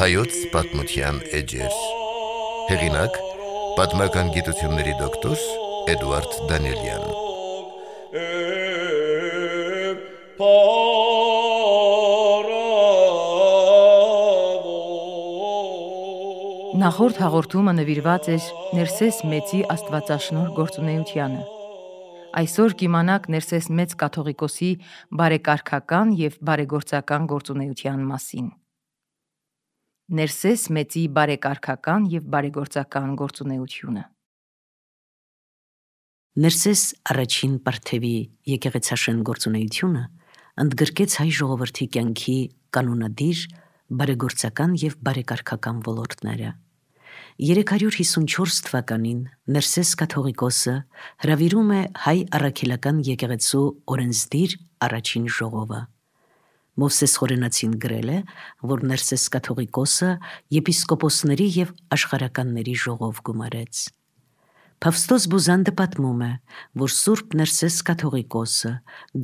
Հայոց պատմության էջեր։ Հեղինակ՝ պատմական գիտությունների դոկտոր Էդուարդ Դանիելյան։ Նախորդ հաղորդումը նվիրված էր Ներսես Մեծի աստվածաշնորհ գործունեությանը։ Այսօր կիմանաք Ներսես Մեծ կաթողիկոսի բարեկարգական և բարեգործական գործունեության մասին։ Ներսես Մեծի բարեկարգական և բարեգործական գործունեությունը։ Ներսես առաջին Պարթևի եկեղեցաշեն գործունեությունը ընդգրկեց հայ ժողովրդի կյանքի կանոնադիր, բարեգործական և բարեկարգական ոլորտները։ 354 թվականին Ներսես կաթողիկոսը հրավիրում է հայ առաքելական եկեղեցու օրենսդիր առաջին ժողովը։ Մովսես Խորենացին գրել է, որ Ներսես կաթողիկոսը եպիսկոպոսների և աշխարհականների ժողով գումարեց։ Փավստոս Բուզանդը պատմում է, որ Սուրբ Ներսես կաթողիկոսը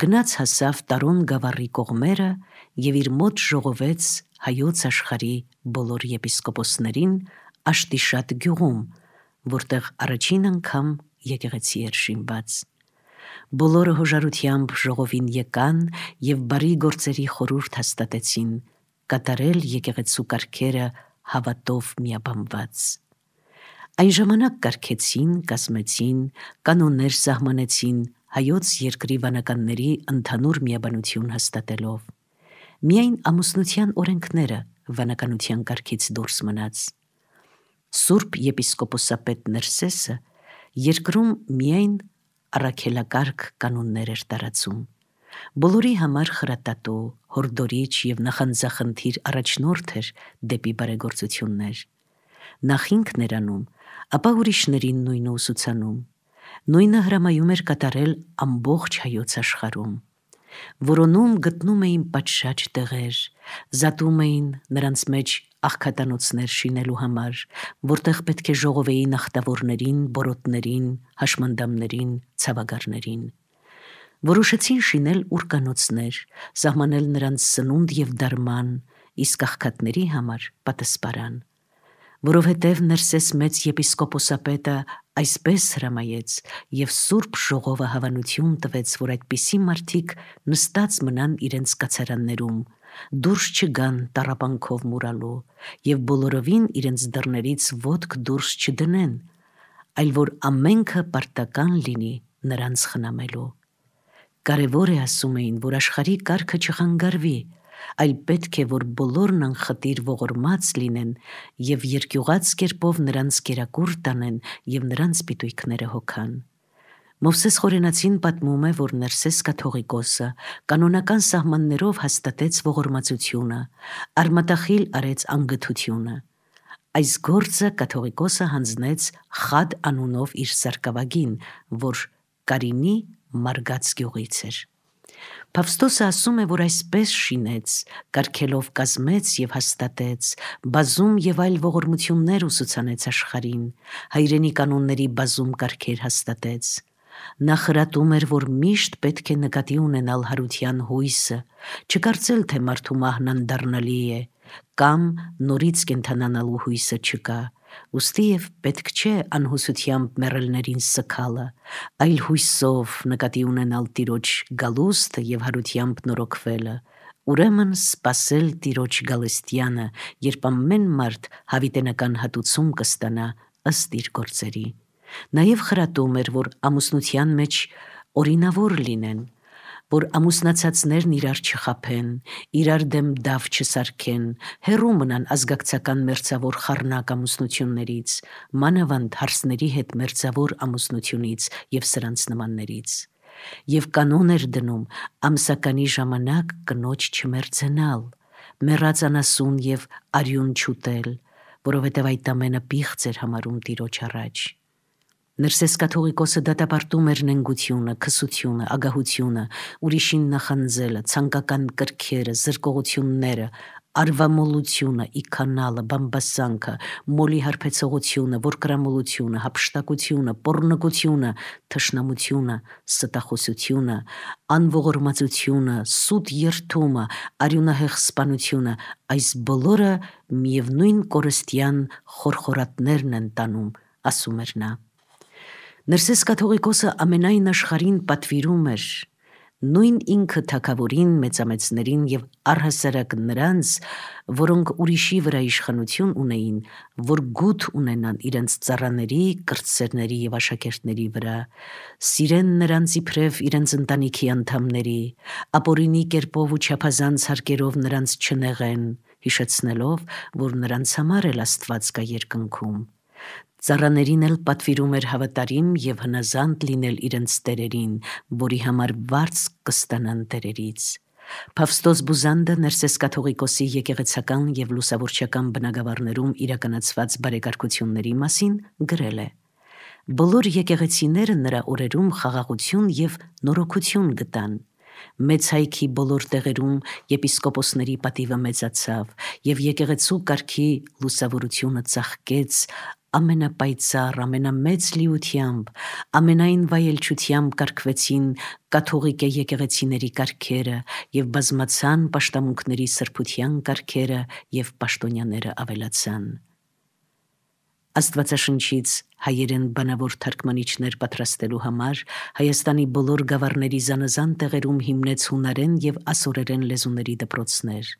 գնաց հասավ Տարոն գավառի կողմերը և իր մոտ ժողովեց հայոց աշխարհի բոլոր եպիսկոպոսներին Աշտիշատ գյուղում, որտեղ առաջին անգամ եկեղեցի էր շինված։ Բոլորը հոժարությամբ ժողովին եկան և բարի գործերի խորհուրդ հաստատեցին, կատարել եկեղեցու կարգերը հավատով միաբանված։ Այն ժամանակ կարգեցին, կազմեցին, կանոններ սահմանեցին հայոց երկրի վանականների ընդհանուր միաբանություն հաստատելով։ Միայն ամուսնության օրենքները վանականության կարգից դուրս մնաց։ Սուրբ եպիսկոպոսապետ Ներսեսը երկրում միայն առաքելակարգ կանոններ էր տարածում։ Բոլորի համար խրատատու, հորդորիչ և նախանձախնդիր առաջնորդ էր դեպի բարեգործություններ։ Նախ ինքն էր անում, ապա ուրիշներին նույնը ուսուցանում։ Նույնը հրամայում էր կատարել ամբողջ հայոց աշխարհում։ Որոնում գտնում էին պատշաճ տեղեր, զատում էին նրանց մեջ աղքատանոցներ շինելու համար, որտեղ պետք է ժողովեին ախտավորներին, բորոտներին, հաշմանդամներին, ցավագարներին։ Որոշեցին շինել ուրկանոցներ, սահմանել նրանց սնունդ և դարման, իսկ աղքատների համար պատասպարան։ Որովհետև Ներսես Մեծ եպիսկոպոսապետը այսպես հրամայեց և Սուրբ Ժողովը հավանություն տվեց, որ այդպիսի մարդիկ նստած մնան իրենց կացարաններում, դուրս չգան տառապանքով մուրալու և բոլորովին իրենց դռներից ոտք դուրս չդնեն, այլ որ ամենքը պարտական լինի նրանց խնամելու։ Կարևոր է, ասում էին, որ աշխարհի կարգը չխանգարվի, այլ պետք է, որ բոլորն անխտիր ողորմած լինեն և երկյուղած կերպով նրանց կերակուր տանեն և նրանց պիտույքները հոգան։ Մովսես Խորենացին պատմում է, որ Ներսես կաթողիկոսը կանոնական սահմաններով հաստատեց ողորմածությունը, արմատախիլ արեց անգթությունը։ Այս գործը կաթողիկոսը հանձնեց Խադ անունով իր սարկավագին, որ Կարինի Մարգաց գյուղից էր։ Փավստոսը ասում է, որ այսպես շինեց, կարգելով կազմեց և հաստատեց, բազում և այլ ողորմություններ ուսուցանեց աշխարհին, հայրենի կանոնների բազում կարգեր հաստատեց։ Նա խրատում էր, որ միշտ պետք է նկատի ունենալ հարության հույսը, չկարծել, թե մարդու մահն անդառնալի է, կամ նորից կենդանանալու հույսը չկա, ուստի և պետք չէ անհուսությամբ մեռելներին սգալը, այլ հույսով նկատի ունենալ Տիրոջ գալուստը և հարությամբ նորոգվելը, ուրեմն սպասել Տիրոջ գալստյանը, երբ ամեն մարդ հավիտենական հատուցում կստանա ըստ իր գործերի։ Նաև խրատում էր, որ ամուսնության մեջ օրինավոր լինեն, որ ամուսնացածներն իրար չխաբեն, իրար դեմ դավ չսարքեն, հեռու մնան ազգակցական մերձավոր խառնակ ամուսնություններից, մանավանդ հարսների հետ մերձավոր ամուսնությունից և սրանց նմաններից։ Եվ կանոն էր դնում ամսականի ժամանակ կնոջ չմերձենալ, մեռած անասուն և արյուն չուտել, որովհետև այդ ամենը պիղծ էր համարում Տիրոջ առաջ։ Ներսես կաթողիկոսը դատապարտում էր նենգությունը, քսությունը, ագահությունը, ուրիշին նախանձելը, ցանկական կրքերը, զրկողությունները, արվամոլությունը, իքանալը, բամբասանքը, մոլի հարբեցողությունը, որկրամոլությունը, հափշտակությունը, պոռնկությունը, թշնամությունը, ստախոսությունը, անողորմածությունը, սուտ երթումը, արյունահեղ սպանությունը, այս բոլորը միևնույն կորստյան խորխորատներն են տանում, ասում էր նա։ Ներսես կաթողիկոսը ամենայն աշխարհին պատվիրում էր, նույն ինքը թագավորին, մեծամեծներին և առհասարակ նրանց, որոնք ուրիշի վրա իշխանություն ունեին, որ գութ ունենան իրենց ծառաների, կրտսերների և աշակերտների վրա, սիրեն նրանց իբրև իրենց ընտանիքի անդամների, ապօրինի կերպով ու չափազանց հարկերով նրանց չնեղեն, հիշեցնելով, որ նրանց համար էլ Աստված կա երկնքում։ Ծառաներին էլ պատվիրում էր հավատարիմ և հնազանդ լինել իրենց տերերին, որի համար վարձ կստանան տերերից։ Փավստոս Բուզանդը Ներսես կաթողիկոսի եկեղեցական և լուսավորչական բնագավառներում իրականացված բարեկարգությունների մասին գրել է. «Բոլոր եկեղեցիները նրա օրերում խաղաղություն և նորոգություն գտան։ Մեծ հայքի բոլոր տեղերում եպիսկոպոսների պատիվը մեծացավ, և եկեղեցու կարգի լուսավորությունը ծաղկեց ամենապայծառ, ամենամեծ լիությամբ, ամենայն վայելչությամբ կարգվեցին կաթողիկե եկեղեցիների կարգերը և բազմացան պաշտամունքների սրբության կարգերը և պաշտոնյաները ավելացան»։ Աստվածաշնչից հայերեն բանավոր թարգմանիչներ պատրաստելու համար Հայաստանի բոլոր գավառների զանազան տեղերում հիմնեց հունարեն և ասորերեն լեզուների դպրոցներ։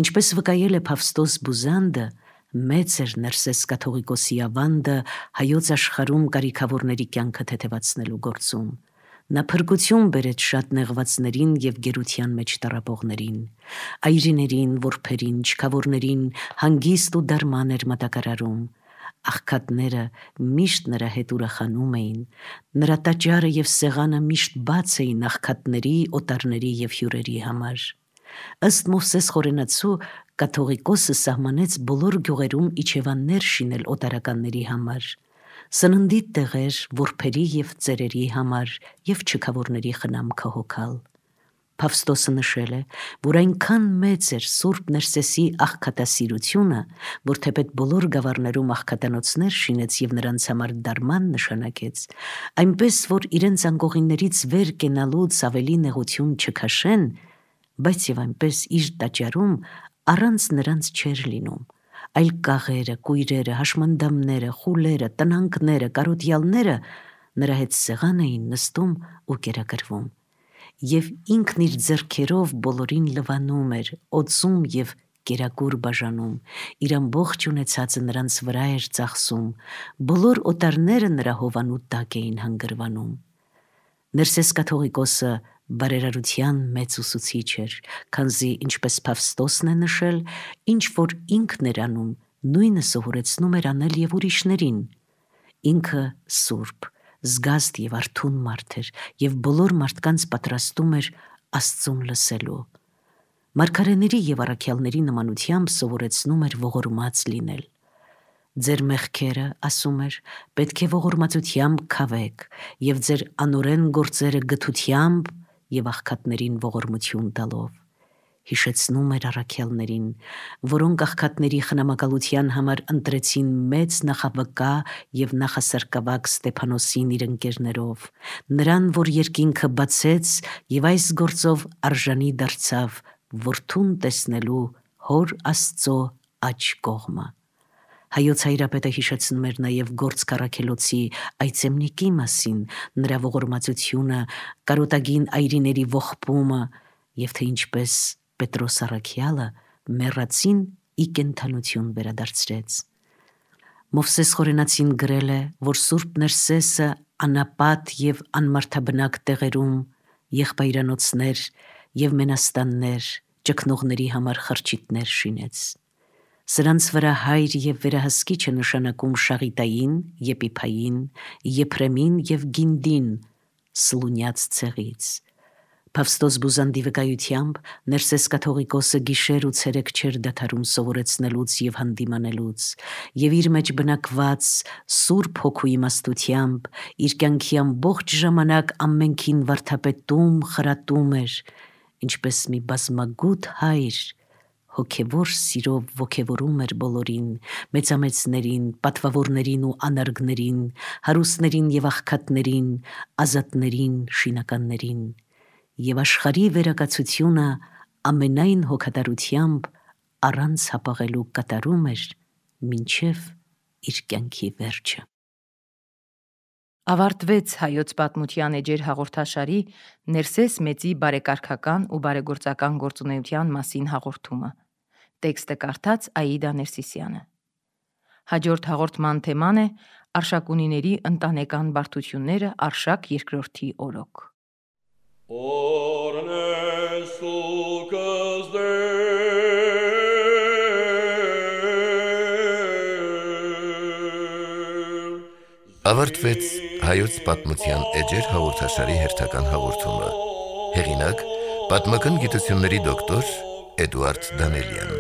Ինչպես վկայել է Փավստոս Բուզանդը, մեծ էր Ներսես կաթողիկոսի ավանդը հայոց աշխարհում կարիքավորների կյանքը թեթևացնելու գործում։ Նա փրկություն բերեց շատ նեղվածներին և գերության մեջ տառապողներին, այրիներին, որբերին, չքավորներին հանգիստ ու դարման էր մատակարարում։ Աղքատները միշտ նրա հետ ուրախանում էին, նրա տաճարը և սեղանը միշտ բաց էին աղքատների, օտարների և հյուրերի համար։ Ըստ Մովսես Խորենացու, կաթողիկոսը սահմանեց բոլոր գյուղերում իջևաններ շինել օտարականների համար, սննդի տեղեր որբերի և ծերերի համար և չքավորների խնամքը հոգալ։ Փավստոսը նշել է, որ այնքան մեծ էր Սուրբ Ներսեսի աղքատասիրությունը, որ թեպետ բոլոր գավառներում աղքատանոցներ շինեց և նրանց համար դարման նշանակեց, այնպես որ իրենց անկողիններից վեր կենալուց ավելի նեղություն չքաշեն, բայց և այնպես իր տաճարում առանց նրանց չէր լինում, այլ կաղերը, կույրերը, հաշմանդամները, խուլերը, տնանքները, կարոտյալները նրա հետ սեղան էին նստում ու կերակրվում։ Եվ ինքն իր ձեռքերով բոլորին լվանում էր, օծում և կերակուր բաժանում, իր ամբողջ ունեցածը նրանց վրա էր ծախսում, բոլոր օտարները նրա հովանու տակ էին հանգրվանում։ Ներսես կաթողիկոսը բարերարության մեծ ուսուցիչ էր, քանզի ինչպես Փավստոսն է նշել, ինչ որ ինքն էր անում, նույնը սովորեցնում էր անել և ուրիշներին։ Ինքը սուրբ, զգաստ և արթուն մարդ էր և բոլոր մարդկանց պատրաստում էր Աստծուն լսելու։ Մարգարեների և առաքյալների նմանությամբ սովորեցնում էր ողորմած լինել։ Ձեր մեղքերը, ասում էր, պետք է ողորմածությամբ քավեք և ձեր անօրեն գործերը գթությամբ և աղքատներին ողորմություն տալով։ Հիշեցնում էր առաքյալներին, որոնք աղքատների խնամակալության համար ընտրեցին մեծ նախավկա և նախասարկավակ Ստեփանոսին իր ընկերներով, նրան, որ երկինքը բացեց և այս գործով արժանի դարձավ որդուն տեսնելու հոր Աստծո աջ կողմը։ Հայոց Հայրապետը հիշեցնում էր նաև Գործք առաքելոցի այծեմնիկի մասին, նրա ողորմածությունը, կարոտագին այրիների ողբումը և թե ինչպես Պետրոս առաքյալը մեռածին ի կենդանություն վերադարձրեց։ Մովսես Խորենացին գրել է, որ Սուրբ Ներսեսը անապատ և անմարդաբնակ տեղերում եղբայրանոցներ և մենաստաններ, ճգնողների համար խրճիթներ շինեց։ Սրանց վրա հայր և վերահսկիչ է նշանակում Շաղիտային, Եպիփային, Եփրեմին և Գինդին Սլունյաց ցեղից։ Փավստոս Բուզանդի վկայությամբ Ներսես կաթողիկոսը գիշեր ու ցերեկ չէր դադարում սովորեցնելուց և հանդիմանելուց, և իր մեջ բնակված Սուրբ Հոգու իմաստությամբ իր կյանքի ամբողջ ժամանակ ամենքին վարդապետում, խրատում էր, ինչպես մի բազմագութ հայր հոգևոր սիրով ոգևորում էր բոլորին, մեծամեծներին, պատվավորներին ու անարգներին, հարուստներին եւ աղքատներին, ազատներին, շինականներին, եւ աշխարհի վերակացությունը ամենայն հոգատարությամբ առանց հապաղելու կատարում էր մինչև իր կյանքի վերջը։ Ավարտվեց հայոց պատմության էջեր հաղորդաշարի Ներսես Մեծի բարեկարգական ու բարեգործական գործունեության մասին հաղորդումը։ Տեքստը կարդաց Աիդա Ներսիսյանը։ Հաջորդ հաղորդման թեման է Արշակունիների ընտանեկան բարդությունները Արշակ II օրոք։ Ավարտվեց հայոց պատմության էջեր հաղորդաշարի հերթական հաղորդումը։ Հեղինակ՝ պատմական գիտությունների դոկտոր Էդուարդ Դանելյան։